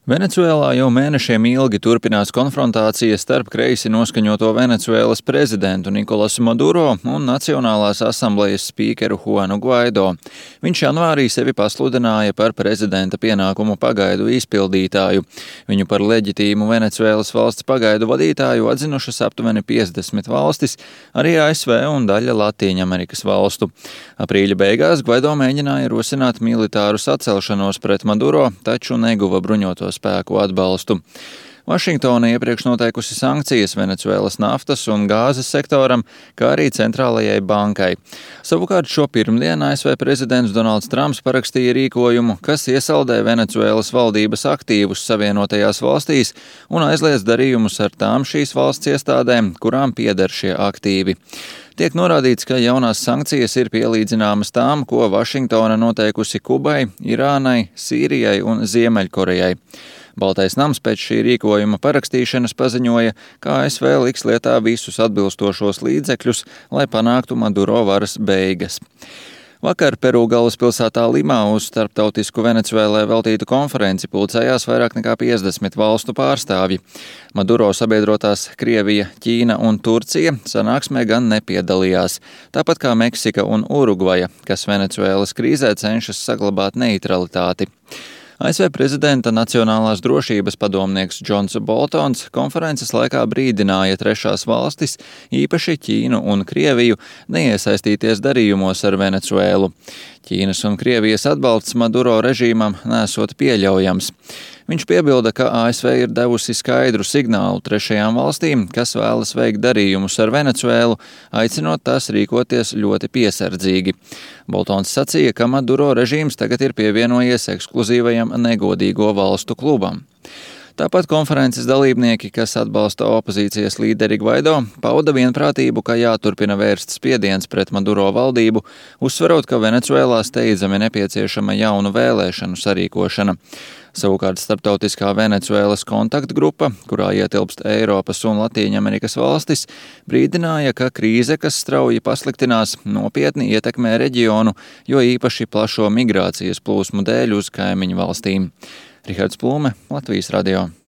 Venecuēlā jau mēnešiem ilgi turpinās konfrontācija starp kreisi noskaņoto Venecuēlas prezidentu Nikolasu Maduro un Nacionālās asamblejas spīkeru Juanu Guaido. Viņš janvārī sevi pasludināja par prezidenta pienākumu pagaidu izpildītāju. Viņu par leģitīmu Venecuēlas valsts pagaidu vadītāju atzinušas aptuveni 50 valstis, arī ASV un daļa Latīņamerikas valstu. Aprīļa beigās Guaido mēģināja rosināt militāru sacelšanos pret Maduro, taču neguva bruņoto spēku atbalstu. Vašingtona iepriekš noteikusi sankcijas Venecuēlas naftas un gāzes sektoram, kā arī centrālajai bankai. Savukārt šo pirmdienu ASV prezidents Donalds Trumps parakstīja rīkojumu, kas iesaldē Venecuēlas valdības aktīvus Savienotajās valstīs un aizliedz darījumus ar tām šīs valsts iestādēm, kurām pieder šie aktīvi. Tiek norādīts, ka jaunās sankcijas ir pielīdzināmas tām, ko Vašingtona noteikusi Kubai, Irānai, Sīrijai un Ziemeļkorejai. Baltais nams pēc šī rīkojuma parakstīšanas paziņoja, ka ASV liks lietā visus atbilstošos līdzekļus, lai panāktu Maduro varas beigas. Vakar Peru galvaspilsētā Limā uz starptautisku Venecuēlai veltītu konferenci pulcējās vairāk nekā 50 valstu pārstāvji. Maduro sabiedrotās Krievija, Ķīna un Turcija sanāksmē gan nepiedalījās, tāpat kā Meksika un Urugvaja, kas Venecuēlas krīzē cenšas saglabāt neitralitāti. ASV prezidenta nacionālās drošības padomnieks Džons Boltons konferences laikā brīdināja trešās valstis, īpaši Ķīnu un Krieviju, neiesaistīties darījumos ar Venecuēlu. Ķīnas un Krievijas atbalsts Maduro režīmam nesot pieļaujams. Viņš piebilda, ka ASV ir devusi skaidru signālu trešajām valstīm, kas vēlas veikt darījumus ar Venecuēlu, aicinot tās rīkoties ļoti piesardzīgi. Boltons sacīja, ka Maduro režīms tagad ir pievienojies ekskluzīvajam negodīgo valstu klubam. Tāpat konferences dalībnieki, kas atbalsta opozīcijas līderi Guaido, pauda vienprātību, ka jāturpina vērst spiediens pret Maduro valdību, uzsverot, ka Venecuēlā steidzami nepieciešama jaunu vēlēšanu sarīkošana. Savukārt starptautiskā Venecuēlas kontaktgrupa, kurā ietilpst Eiropas un Latīņamerikas valstis, brīdināja, ka krīze, kas strauji pasliktinās, nopietni ietekmē reģionu, jo īpaši plašo migrācijas plūsmu dēļ uz kaimiņu valstīm. Rihards Plūme, Latvijas radio.